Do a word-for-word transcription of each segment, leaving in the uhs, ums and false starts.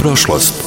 prošlost.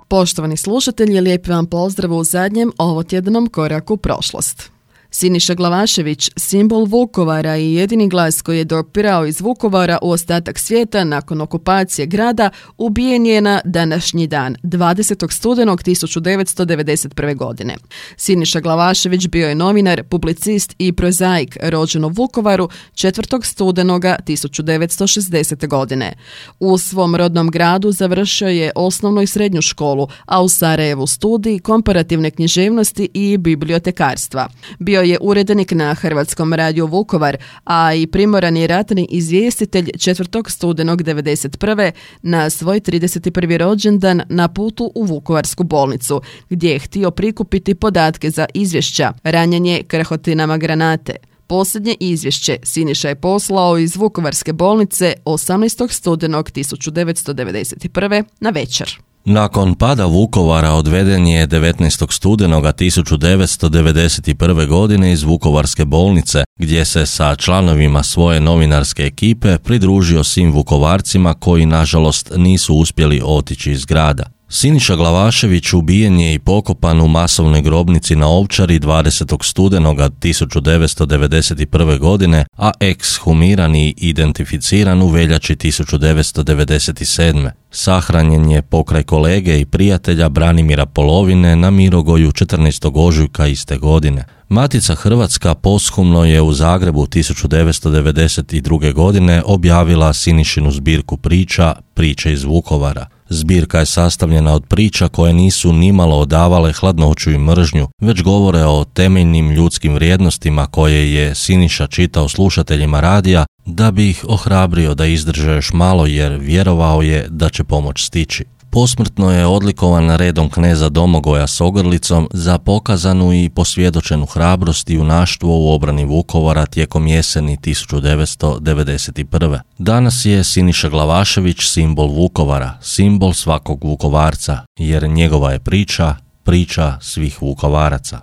Poštovani slušatelji, lijepi vam pozdrav u zadnjem ovotjednom koraku u prošlost. Siniša Glavašević, simbol Vukovara i jedini glas koji je dopirao iz Vukovara u ostatak svijeta nakon okupacije grada, ubijen je na današnji dan, dvadesetog studenog tisuću devetsto devedeset prve. godine. Siniša Glavašević bio je novinar, publicist i prozaik, rođen u Vukovaru četvrtog studenoga tisuću devetsto šezdesete. godine. U svom rodnom gradu završio je osnovnu i srednju školu, a u Sarajevu studij komparativne književnosti i bibliotekarstva. Bio je urednik na Hrvatskom radiju Vukovar, a i primorani ratni izvjestitelj četvrtog studenog devedeset prve. na svoj trideset prvi rođendan na putu u Vukovarsku bolnicu, gdje je htio prikupiti podatke za izvješća, ranjenje krhotinama granate. Posljednje izvješće Siniša je poslao iz Vukovarske bolnice osamnaestog studenog tisuću devetsto devedeset prve. na večer. Nakon pada Vukovara odveden je devetnaestog studenoga tisuću devetsto devedeset prve. godine iz Vukovarske bolnice, gdje se sa članovima svoje novinarske ekipe pridružio svim Vukovarcima koji nažalost nisu uspjeli otići iz grada. Siniša Glavašević ubijen je i pokopan u masovnoj grobnici na Ovčari dvadesetog studenoga tisuću devetsto devedeset prve. godine, a ekshumiran i identificiran u veljači tisuću devetsto devedeset sedme. Sahranjen je pokraj kolege i prijatelja Branimira Polovine na Mirogoju četrnaestog ožujka iste godine. Matica Hrvatska posthumno je u Zagrebu tisuću devetsto devedeset druge. godine objavila Sinišinu zbirku priča Priče iz Vukovara. Zbirka je sastavljena od priča koje nisu nimalo odavale hladnoću i mržnju, već govore o temeljnim ljudskim vrijednostima koje je Siniša čitao slušateljima radija da bi ih ohrabrio da izdrže još malo, jer vjerovao je da će pomoć stići. Posmrtno je odlikovan redom kneza Domagoja s ogrlicom za pokazanu i posvjedočenu hrabrost i junaštvo u obrani Vukovara tijekom jeseni tisuću devetsto devedeset prve. Danas je Siniša Glavašević simbol Vukovara, simbol svakog Vukovarca, jer njegova je priča, priča svih Vukovaraca.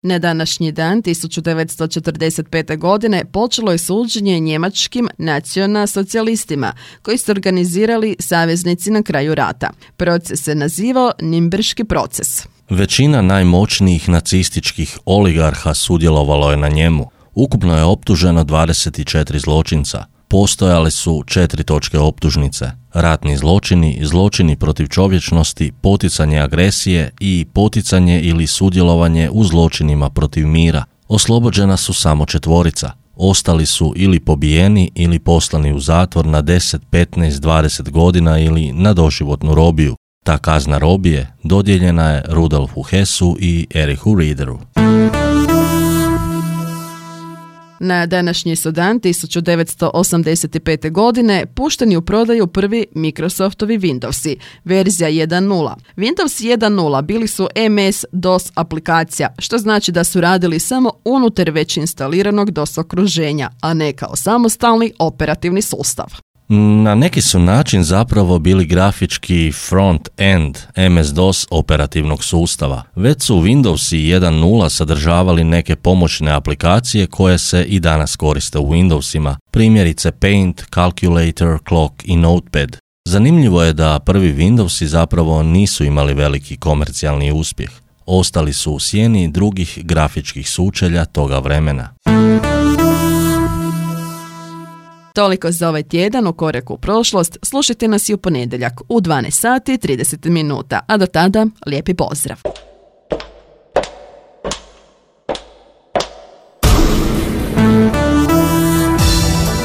Na današnji dan tisuću devetsto četrdeset pete. godine počelo je suđenje njemačkim nacionalsocijalistima koji su organizirali saveznici na kraju rata. Proces se nazivao Nimberški proces. Većina najmoćnijih nacističkih oligarha sudjelovalo je na njemu. Ukupno je optuženo dvadeset četiri zločinca. Postojale su četiri točke optužnice: ratni zločini, zločini protiv čovječnosti, poticanje agresije i poticanje ili sudjelovanje u zločinima protiv mira. Oslobođena su samo četvorica. Ostali su ili pobijeni ili poslani u zatvor na deset, petnaest, dvadeset godina ili na doživotnu robiju. Ta kazna robije dodijeljena je Rudolfu Hessu i Erichu Riederu. Na današnji su dan tisuću devetsto osamdeset pete. godine pušteni u prodaju prvi Microsoftovi Windowsi, verzija jedan nula. Windows jedan nula bili su em es dos aplikacija, što znači da su radili samo unutar već instaliranog dos okruženja, a ne kao samostalni operativni sustav. Na neki su način zapravo bili grafički front-end em es dos operativnog sustava. Već su Windowsi jedan nula sadržavali neke pomoćne aplikacije koje se i danas koriste u Windowsima, primjerice Paint, Calculator, Clock i Notepad. Zanimljivo je da prvi Windowsi zapravo nisu imali veliki komercijalni uspjeh. Ostali su u sjeni drugih grafičkih sučelja toga vremena. Toliko za ovaj tjedan u koraku u prošlost. Slušajte nas i u ponedjeljak u dvanaest sati i trideset minuta, a do tada lijepi pozdrav.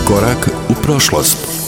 Korak u prošlost.